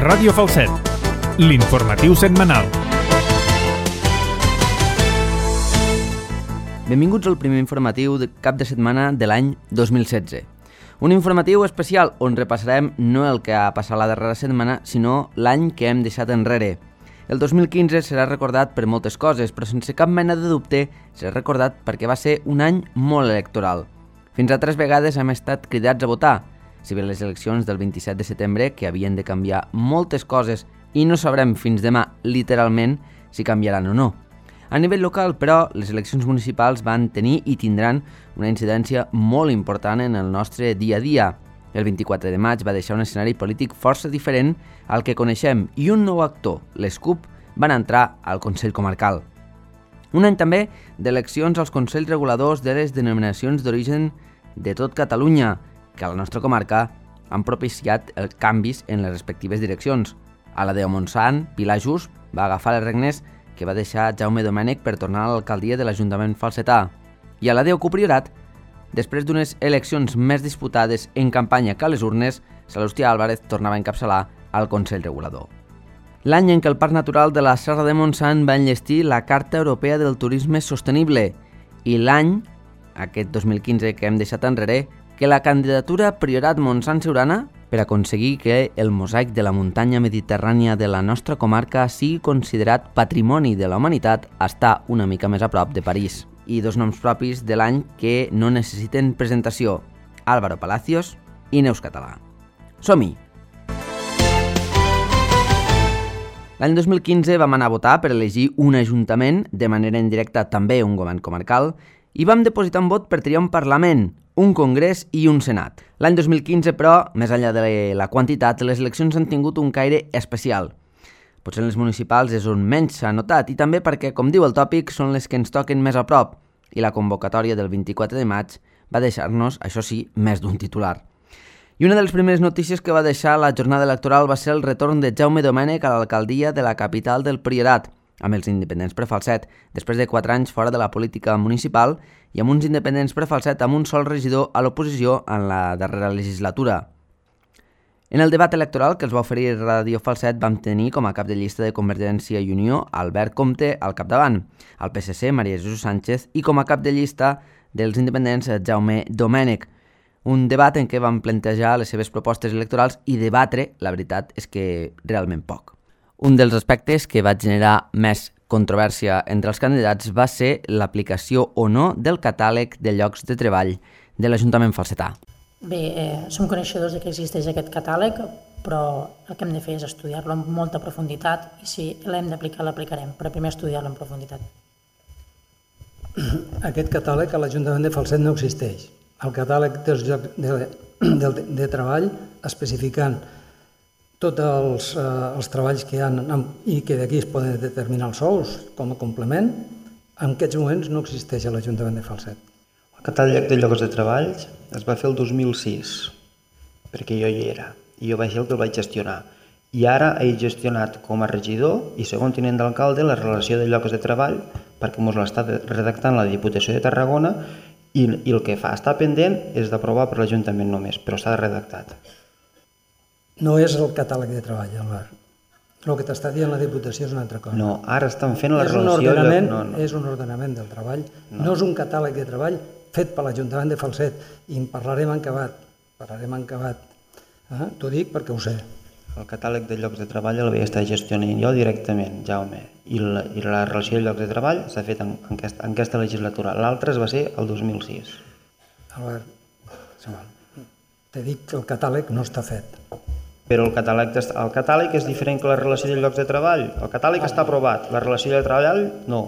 Ràdio Falset, l'informatiu setmanal. Benvinguts al primer informatiu de cap de setmana de l'any 2016. Un informatiu especial on repassarem no el que ha passat la darrera setmana, sinó l'any que hem deixat enrere. El 2015 serà recordat per moltes coses, però sense cap mena de dubte serà recordat perquè va ser un any molt electoral. Fins a 3 vegades hem estat cridats a votar, si bé les eleccions del 27 de setembre, que havien de canviar moltes coses i no sabrem fins demà, literalment, si canviaran o no. A nivell local, però, les eleccions municipals van tenir i tindran una incidència molt important en el nostre dia a dia. El 24 de maig va deixar un escenari polític força diferent al que coneixem i un nou actor, les CUP, van entrar al Consell Comarcal. Un any també d'eleccions als Consells Reguladors de les denominacions d'origen de tot Catalunya, que a la nostra comarca han propiciat els canvis en les respectives direccions. A la de Montsant, Pilar Just va agafar les regnes que va deixar Jaume Domènech per tornar a l'alcaldia de l'Ajuntament falsetà. I a la de Ocupriorat, després d'unes eleccions més disputades en campanya que a les urnes, Salustià Álvarez tornava a encapçalar al Consell Regulador. L'any en què el Parc Natural de la Serra de Montsant va enllestir la Carta Europea del Turisme Sostenible i l'any, aquest 2015 que hem deixat enrere, que la candidatura Priorat-Montsant-Siurana per aconseguir que el mosaic de la muntanya mediterrània de la nostra comarca sigui considerat Patrimoni de la Humanitat està una mica més a prop de París. I 2 noms propis de l'any que no necessiten presentació, Álvaro Palacios i Neus Català. Som-hi! L'any 2015 vam anar a votar per elegir un ajuntament, de manera indirecta també un govern comarcal, i vam depositar un vot per triar un Parlament, un Congrés i un Senat. L'any 2015, però, més enllà de la quantitat, les eleccions han tingut un caire especial. Potser en les municipals és on menys s'ha notat i també perquè, com diu el tòpic, són les que ens toquen més a prop i la convocatòria del 24 de maig va deixar-nos, això sí, més d'un titular. I una de les primeres notícies que va deixar la jornada electoral va ser el retorn de Jaume Domènech a l'alcaldia de la capital del Priorat, amb els independents per Falset, després de 4 anys fora de la política municipal i amb uns independents per Falset amb un sol regidor a l'oposició en la darrera legislatura. En el debat electoral que els va oferir Ràdio Falset vam tenir com a cap de llista de Convergència i Unió Albert Comte al capdavant, al PSC Maria Jesús Sánchez i com a cap de llista dels independents Jaume Domènech. Un debat en què van plantejar les seves propostes electorals i debatre, la veritat és que realment poc. Un dels aspectes que va generar més controvèrsia entre els candidats va ser l'aplicació o no del catàleg de llocs de treball de l'Ajuntament falsetà. Bé, som coneixedors de que existeix aquest catàleg, però el que hem de fer és estudiar-lo amb molta profunditat i si l'hem d'aplicar, l'aplicarem, però primer estudiar-lo en profunditat. Aquest catàleg a l'Ajuntament de Falset no existeix. El catàleg dels llocs de treball especificant tots els treballs que hi ha i que d'aquí es poden determinar els sous com a complement, en aquests moments no existeix a l'Ajuntament de Falset. El catàleg de llocs de treball es va fer el 2006, perquè jo hi era, i jo vaig ser el que el vaig gestionar. I ara he gestionat com a regidor i segon tinent d'alcalde la relació de llocs de treball perquè ens l'està redactant la Diputació de Tarragona i el que fa està pendent és d'aprovar per l'Ajuntament només, però està redactat. No és el catàleg de treball, Albert. El que t'està dient la Diputació és una altra cosa. No, ara estan fent la relació... És un ordenament del treball, no és un catàleg de treball fet per l'Ajuntament de Falset i en parlarem en acabat. T'ho dic perquè ho sé. El catàleg de llocs de treball el vaig estar gestionant jo directament, Jaume, i la relació de llocs de treball s'ha fet en aquesta legislatura. L'altra es va ser el 2006. Albert, t'he dit que el catàleg no està fet. Però el catàleg és diferent que la relació de llocs de treball. El catàleg està aprovat, la relació de treball no.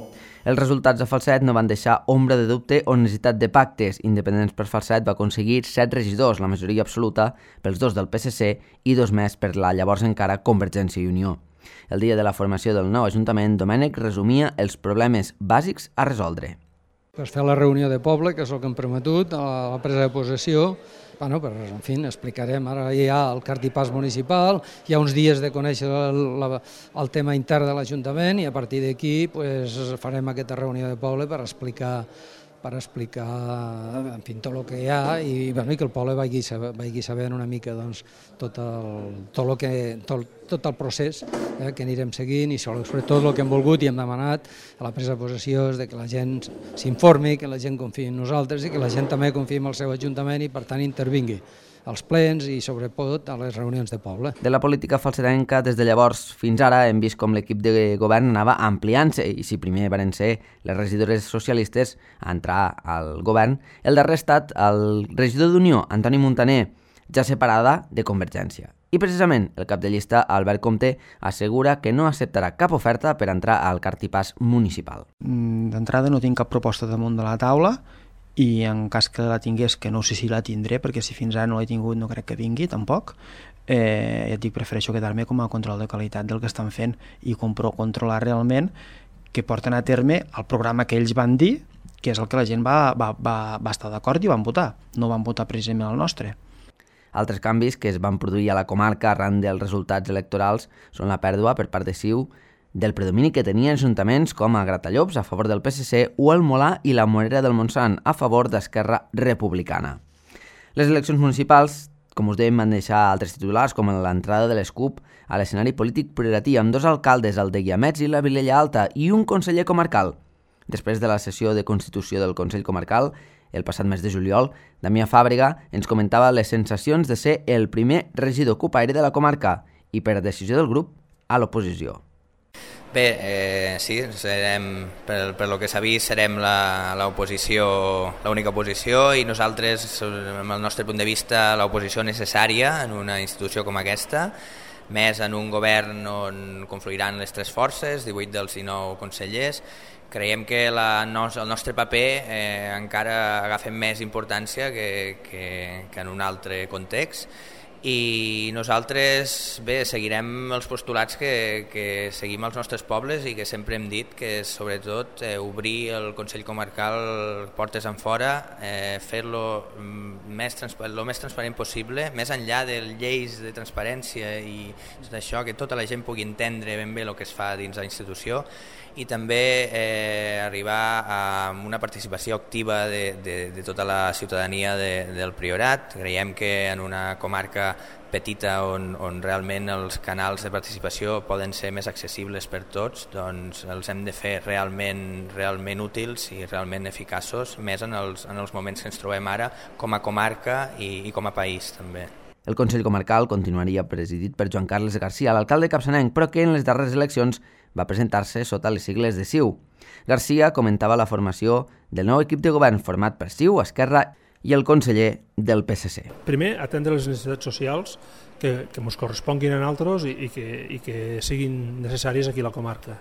Els resultats a Falset no van deixar ombra de dubte o necessitat de pactes. Independents per Falset va aconseguir 7 regidors, la majoria absoluta pels 2 del PSC i 2 més per la llavors encara Convergència i Unió. El dia de la formació del nou Ajuntament, Domènech resumia els problemes bàsics a resoldre. Per fer la reunió de poble, que és el que hem prometut, a la presa de possessió, en fi, explicarem, ara hi ha el cartipàs municipal, hi ha uns dies de conèixer el tema intern de l'Ajuntament i a partir d'aquí farem aquesta reunió de poble per explicar per explicar en fi, tot el que hi ha i que el poble vagi sabent una mica doncs, tot el procés que anirem seguint i sobretot tot el que hem volgut i hem demanat a la presa de possessió és que la gent s'informi, que la gent confiï en nosaltres i que la gent també confiï en el seu ajuntament i per tant intervingui als plens i sobretot a les reunions de poble. De la política falserenca, des de llavors fins ara hem vist com l'equip de govern anava ampliant-se i si primer van ser les regidores socialistes a entrar al govern, el darrer ha estat el regidor d'Unió, Antoni Montaner, ja separada de Convergència. I precisament el cap de llista, Albert Comte, assegura que no acceptarà cap oferta per entrar al cartipàs municipal. D'entrada no tinc cap proposta damunt de la taula i en cas que la tingués, que no sé si la tindré, perquè si fins ara no l'he tingut no crec que vingui tampoc, ja et dic, prefereixo quedar-me com a control de qualitat del que estan fent i controlar realment que porten a terme el programa que ells van dir, que és el que la gent va estar d'acord i van votar. No van votar precisament el nostre. Altres canvis que es van produir a la comarca arran dels resultats electorals són la pèrdua per part de CiU del predomini que tenien ajuntaments com a Gratallops a favor del PSC o el Molà i la Morera del Montsant a favor d'Esquerra Republicana. Les eleccions municipals, com us dèiem, van deixar altres titulars com l'entrada de les CUP a l'escenari polític priorití amb 2 alcaldes, el de Guiamets i la Vilella Alta, i un conseller comarcal. Després de la sessió de constitució del Consell Comarcal, el passat mes de juliol, Damià Fàbrega ens comentava les sensacions de ser el primer regidor cupaire de la comarca i, per decisió del grup, a l'oposició. Bé, sí, per lo que s'ha vist, serem l'oposició, l'única oposició i nosaltres, amb el nostre punt de vista, l'oposició necessària en una institució com aquesta, més en un govern on confluiran les 3 forces, 18 dels 19 consellers. Creiem que el nostre paper encara agafa més importància que en un altre context i nosaltres seguirem els postulats que seguim als nostres pobles i que sempre hem dit, que és sobretot obrir el Consell Comarcal portes enfora, fer-lo el més transparent possible, més enllà de lleis de transparència i d'això, que tota la gent pugui entendre ben bé el que es fa dins la institució i també arribar a una participació activa de tota la ciutadania del Priorat. Creiem que en una comarca petita on realment els canals de participació poden ser més accessibles per tots, doncs els hem de fer realment útils i realment eficaços, més en els moments que ens trobem ara com a comarca i com a país també. El Consell Comarcal continuaria presidit per Joan Carles Garcia, l'alcalde capçanenc, però que en les darreres eleccions va presentar-se sota les sigles de CiU. Garcia comentava la formació del nou equip de govern format per CiU, Esquerra i el conseller del PSC. Primer, atendre les necessitats socials que ens corresponguin a nosaltres i que siguin necessàries aquí a la comarca.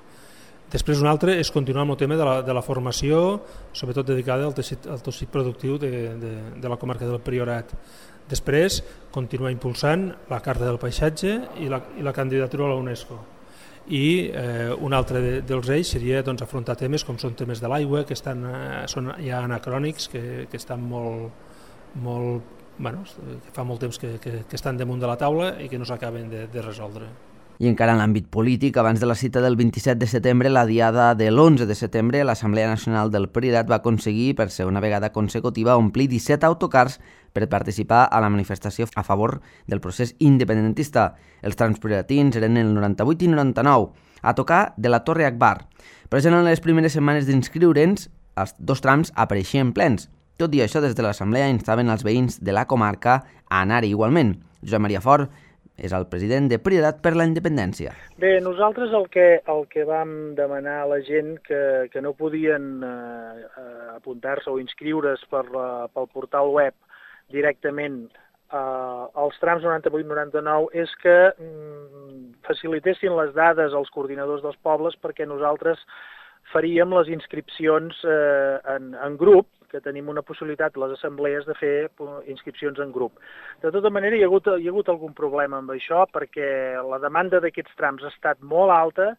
Després un altre és continuar amb el tema de la formació, sobretot dedicada al teixit productiu de la comarca del Priorat. Després, continuar impulsant la Carta del Paisatge i la candidatura a la UNESCO. I un altre dels eixos seria afrontar temes com són temes de l'aigua, que són ja anacrònics, que estan que fa molt temps que estan damunt de la taula i que no s'acaben de resoldre. I encara en l'àmbit polític, abans de la cita del 27 de setembre, la diada de l'11 de setembre, l'Assemblea Nacional del Priorat va aconseguir, per ser una vegada consecutiva, omplir 17 autocars per participar a la manifestació a favor del procés independentista. Els trams prioratins eren el 98 i 99, a tocar de la Torre Akbar. Però ja en les primeres setmanes d'inscriure'ns, els 2 trams apareixien plens. Tot i això, des de l'Assemblea instaven els veïns de la comarca a anar-hi igualment. Josep Maria Fort és el president de Priorat per la Independència. Bé, nosaltres el que vam demanar a la gent que no podien apuntar-se o inscriure's pel portal web directament als trams 98-99 és que facilitessin les dades als coordinadors dels pobles perquè nosaltres faríem les inscripcions en grup, que tenim una possibilitat, les assemblees, de fer inscripcions en grup. De tota manera, hi ha hagut algun problema amb això, perquè la demanda d'aquests trams ha estat molt alta.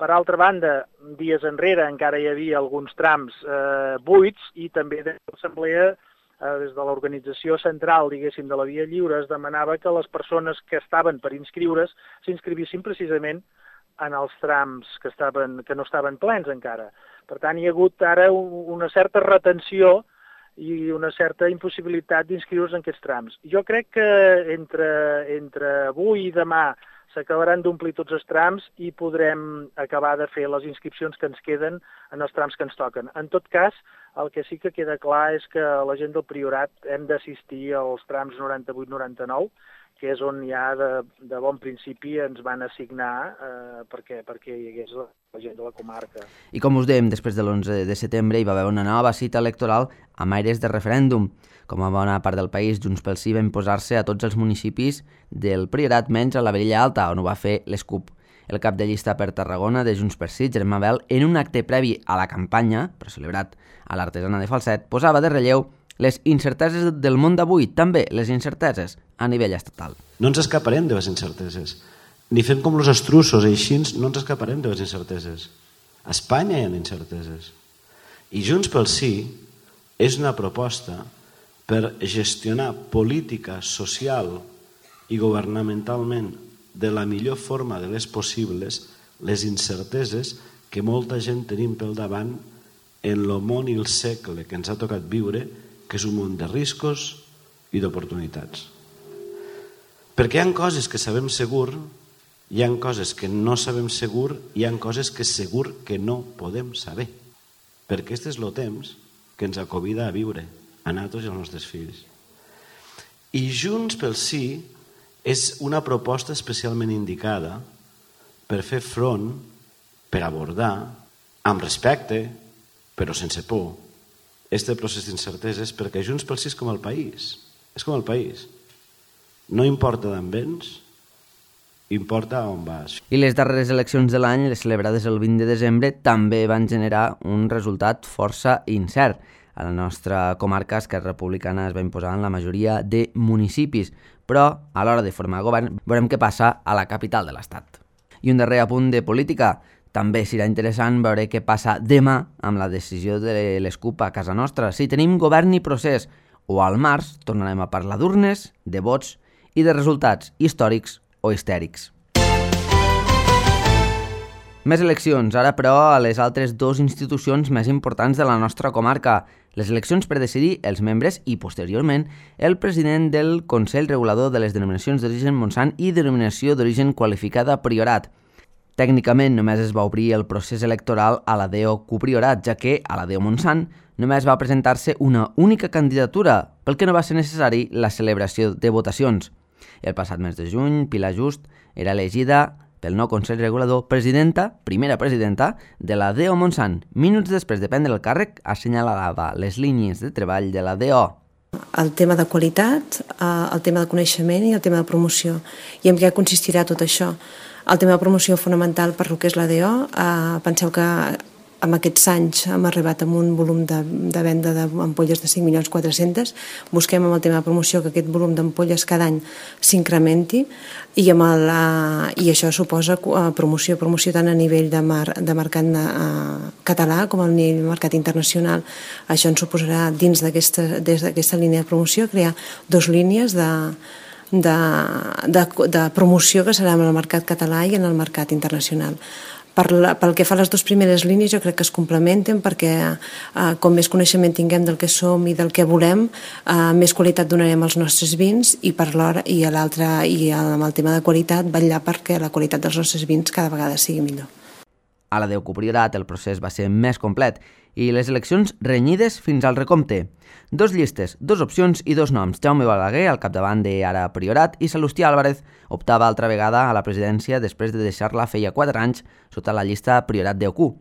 Per altra banda, dies enrere encara hi havia alguns trams buits i també de l'assemblea, des de l'organització central, diguéssim, de la Via Lliure, es demanava que les persones que estaven per inscriure's s'inscrivissin precisament en els trams que no estaven plens encara. Per tant, hi ha hagut ara una certa retenció i una certa impossibilitat d'inscriure's en aquests trams. Jo crec que entre avui i demà s'acabaran d'omplir tots els trams i podrem acabar de fer les inscripcions que ens queden en els trams que ens toquen. En tot cas, el que sí que queda clar és que la gent del Priorat hem d'assistir als trams 98-99, que és on ja de bon principi ens van assignar perquè hi hagués la gent de la comarca. I com us dèiem, després de l'11 de setembre hi va haver una nova cita electoral amb aires de referèndum. Com a bona part del país, Junts pel Sí va imposar-se a tots els municipis del Priorat, menys a la Vilella Alta, on ho va fer l'ESCUP. El cap de llista per Tarragona de Junts per Sí, Germà Bel, en un acte previ a la campanya, però celebrat a l'Artesana de Falset, posava de relleu les incerteses del món d'avui, també les incerteses a nivell estatal. No ens escaparem de les incerteses. Ni fem com els estrussos, així no ens escaparem de les incerteses. A Espanya hi ha incerteses. I Junts pel Sí és una proposta per gestionar política social i governamentalment de la millor forma de les possibles les incerteses que molta gent tenim pel davant en el món i el segle que ens ha tocat viure, que és un món de riscos i d'oportunitats. Perquè hi ha coses que sabem segur, hi ha coses que no sabem segur, hi ha coses que segur que no podem saber. Perquè aquest és el temps que ens acovida a viure, a nosaltres i als nostres fills. I Junts pel Sí és una proposta especialment indicada per fer front, per abordar, amb respecte, però sense por, este procés d'incerteses, perquè Junts pel Sí és com el país. És com el país. No importa d'on vens, importa on vas. I les darreres eleccions de l'any, les celebrades el 20 de desembre, també van generar un resultat força incert. A la nostra comarca, Esquerra Republicana es va imposar en la majoria de municipis, però a l'hora de formar govern veurem què passa a la capital de l'Estat. I un darrer apunt de política. També serà interessant veure què passa demà amb la decisió de l'ESCUP a casa nostra. Si tenim govern i procés, o al març tornarem a parlar d'urnes, de vots i de resultats històrics o histèrics. Més eleccions, ara però a les altres dues institucions més importants de la nostra comarca. Les eleccions per decidir els membres i, posteriorment, el president del Consell Regulador de les Denominacions d'Origen Montsant i Denominació d'Origen Qualificada Priorat. Tècnicament només es va obrir el procés electoral a la DO Priorat, ja que a la DO Montsant només va presentar-se una única candidatura, pel que no va ser necessari la celebració de votacions. El passat mes de juny, Pilar Just era elegida pel nou Consell Regulador primera presidenta de la DO Montsant. Minuts després de prendre el càrrec, assenyalava les línies de treball de la DO. El tema de qualitat, el tema de coneixement i el tema de promoció. I en què consistirà tot això? El tema de promoció fonamental per lo que és la DO. Penseu que en aquests anys hem arribat amb un volum de venda d'ampolles de 5.400.000. Busquem amb el tema de promoció que aquest volum d'ampolles cada any s'incrementi i això suposa promoció tant a nivell de mercat català com a nivell de mercat internacional. Això ens suposarà dins d'aquesta línia de promoció crear dues línies de promoció que serà en el mercat català i en el mercat internacional. Pel que fa a les dues primeres línies jo crec que es complementen perquè com més coneixement tinguem del que som i del que volem, més qualitat donarem als nostres vins i per l'hora i amb el tema de qualitat vetllar perquè la qualitat dels nostres vins cada vegada sigui millor. A la DO Priorat el procés va ser més complet i les eleccions renyides fins al recompte. Dos llistes, dos opcions i dos noms. Jaume Balaguer, al capdavant de Ara Priorat, i Salustià Álvarez optava altra vegada a la presidència després de deixar-la feia 4 anys sota la llista Priorat DOQ.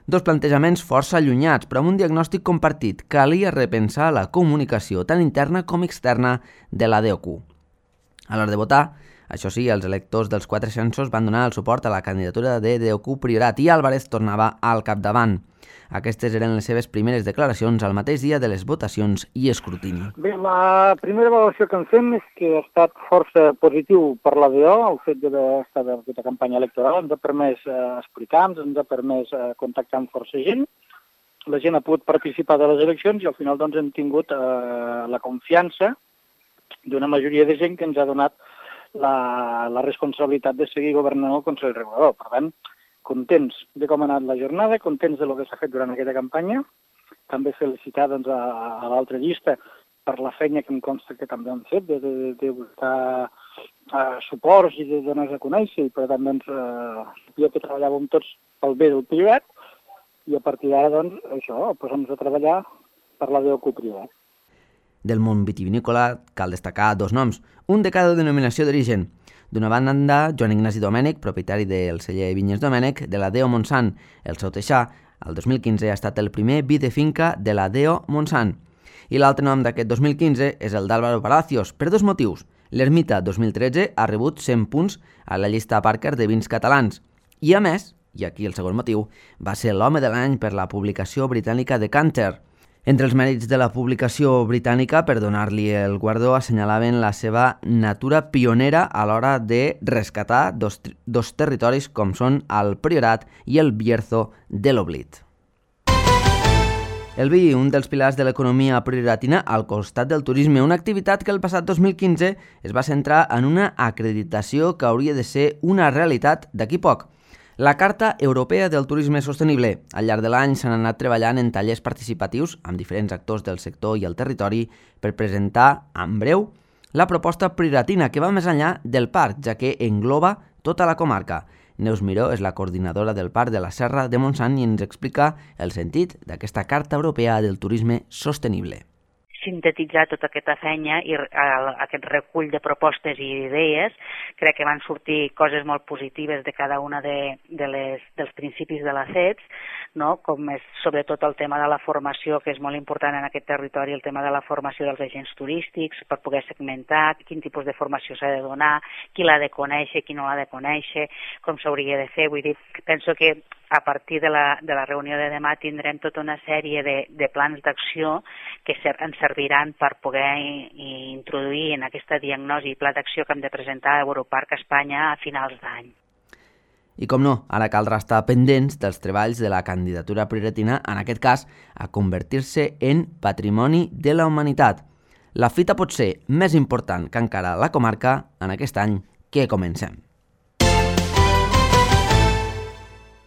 Dos plantejaments força allunyats, però amb un diagnòstic compartit. Calia repensar la comunicació tant interna com externa de la DOQ. A l'hora de votar, això sí, els electors dels 4 censos van donar el suport a la candidatura de DOQ Priorat i Álvarez tornava al capdavant. Aquestes eren les seves primeres declaracions al mateix dia de les votacions i escrutini. Bé, la primera valoració que en fem és que ha estat força positiu per la DO, el fet d'estar en aquesta campanya electoral, ens ha permès explicar-nos, ens ha permès contactar amb força gent, la gent ha pogut participar de les eleccions i al final doncs, hem tingut la confiança d'una majoria de gent que ens ha donat la responsabilitat de seguir governant el Consell Regulador. Per tant, contents de com ha anat la jornada, contents de lo que s'ha fet durant aquesta campanya, també felicitar doncs, a l'altra llista per la feina que em consta que també han fet, de buscar suports i de donar-se a conèixer, i per tant, doncs, sabia que treballàvem tots pel bé del Priorat, i a partir d'ara, doncs, això, posem-nos a treballar per la DO Priorat. Del món vitivinícola cal destacar dos noms, un de cada denominació d'origen. D'una banda, Joan Ignasi Domènech, propietari del celler Vinyes Domènech, de la DO Montsant. El seu teixà, el 2015, ha estat el primer vi de finca de la DO Montsant. I l'altre nom d'aquest 2015 és el d'Álvaro Palacios, per dos motius. L'Ermita 2013 ha rebut 100 punts a la llista Parker de vins catalans. I a més, i aquí el segon motiu, va ser l'home de l'any per la publicació britànica Decanter. Entre els mèrits de la publicació britànica, per donar-li el guardó, assenyalaven la seva natura pionera a l'hora de rescatar dos territoris com són el Priorat i el Bierzo de l'Oblit. El vi, un dels pilars de l'economia prioratina al costat del turisme, una activitat que el passat 2015 es va centrar en una acreditació que hauria de ser una realitat d'aquí poc. La Carta Europea del Turisme Sostenible. Al llarg de l'any s'han anat treballant en tallers participatius amb diferents actors del sector i el territori per presentar, en breu, la proposta prioratina que va més enllà del parc, ja que engloba tota la comarca. Neus Miró és la coordinadora del Parc de la Serra de Montsant i ens explica el sentit d'aquesta Carta Europea del Turisme Sostenible. Sintetitzar tota aquesta feina i aquest recull de propostes i idees, crec que van sortir coses molt positives de cada una dels principis de la CETS, no? Com és sobretot el tema de la formació, que és molt important en aquest territori, el tema de la formació dels agents turístics, per poder segmentar quin tipus de formació s'ha de donar, qui l'ha de conèixer, qui no l'ha de conèixer, com s'hauria de fer. Vull dir, penso que a partir de la reunió de demà tindrem tota una sèrie de plans d'acció que ens serviran per poder introduir en aquesta diagnosi i pla d'acció que hem de presentar a Europarc a Espanya a finals d'any. I com no, ara caldrà estar pendents dels treballs de la candidatura prioratina, en aquest cas, a convertir-se en Patrimoni de la Humanitat. La fita pot ser més important que encara la comarca en aquest any que comencem.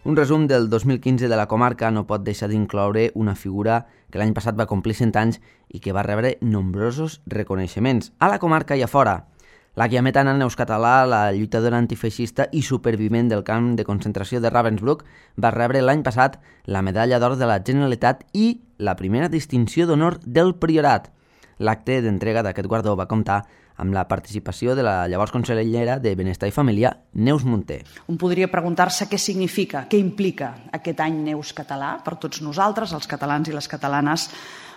Un resum del 2015 de la comarca no pot deixar d'incloure una figura que l'any passat va complir 100 anys i que va rebre nombrosos reconeixements a la comarca i a fora. La guiametana Neus Català, la lluitadora antifeixista i supervivent del camp de concentració de Ravensbrück, va rebre l'any passat la medalla d'or de la Generalitat i la primera distinció d'honor del Priorat. L'acte d'entrega d'aquest guardó va comptar amb la participació de la llavors consellera de Benestar i Família, Neus Munté. Un podria preguntar-se què significa, què implica aquest any Neus Català per tots nosaltres, els catalans i les catalanes.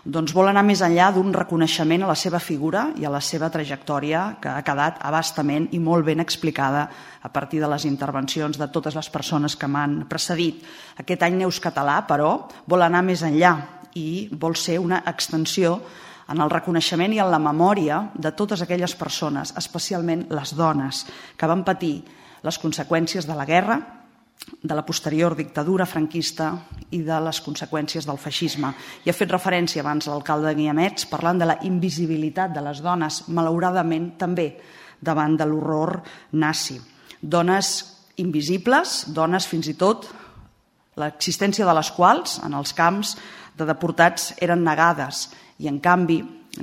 Doncs vol anar més enllà d'un reconeixement a la seva figura i a la seva trajectòria, que ha quedat abastament i molt ben explicada a partir de les intervencions de totes les persones que m'han precedit. Aquest any Neus Català, però, vol anar més enllà i vol ser una extensió en el reconeixement i en la memòria de totes aquelles persones, especialment les dones, que van patir les conseqüències de la guerra, de la posterior dictadura franquista i de les conseqüències del feixisme. I ha fet referència abans l'alcalde de Guiamets parlant de la invisibilitat de les dones, malauradament també davant de l'horror nazi. Dones invisibles, dones fins i tot l'existència de les quals en els camps de deportats eren negades. I, en canvi,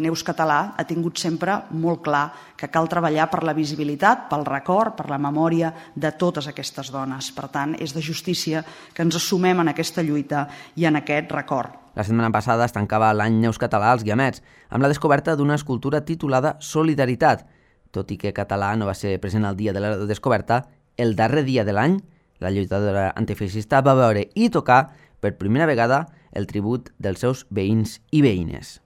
Neus Català ha tingut sempre molt clar que cal treballar per la visibilitat, pel record, per la memòria de totes aquestes dones. Per tant, és de justícia que ens assumem en aquesta lluita i en aquest record. La setmana passada es tancava l'any Neus Català als Guiamets, amb la descoberta d'una escultura titulada Solidaritat. Tot i que Català no va ser present al dia de la descoberta, el darrer dia de l'any, la lluitadora antifeixista va veure i tocar per primera vegada el tribut dels seus veïns i veïnes.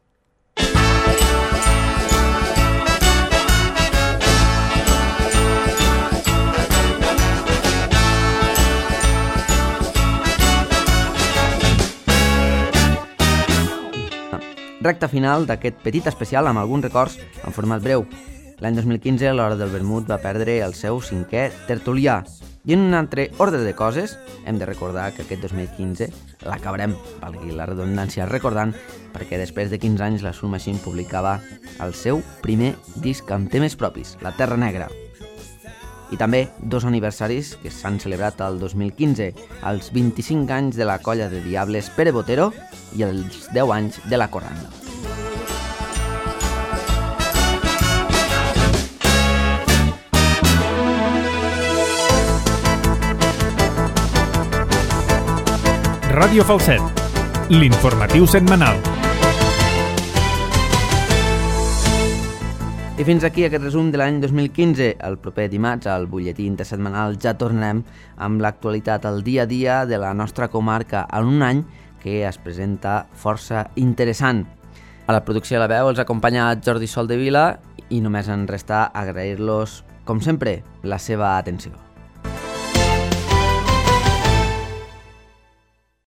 Recta final d'aquest petit especial amb alguns records en format breu. L'any 2015 l'Hora del Vermut va perdre el seu 5è tertulià. I en un altre ordre de coses, hem de recordar que aquest 2015 l'acabarem, valgui la redundància, recordant, perquè després de 15 anys la Soul Machine publicava el seu primer disc amb temes propis, La Terra Negra. i també 2 aniversaris que s'han celebrat el 2015, els 25 anys de la colla de Diables Pere Botero i els 10 anys de la Corranda. Ràdio Falset, l'informatiu setmanal. I fins aquí aquest resum de l'any 2015. El proper dimarts, al butlletí intersetmanal, ja tornem amb l'actualitat al dia a dia de la nostra comarca en un any que es presenta força interessant. A la producció de la veu els acompanya Jordi Soldevila i només ens resta agrair-los, com sempre, la seva atenció.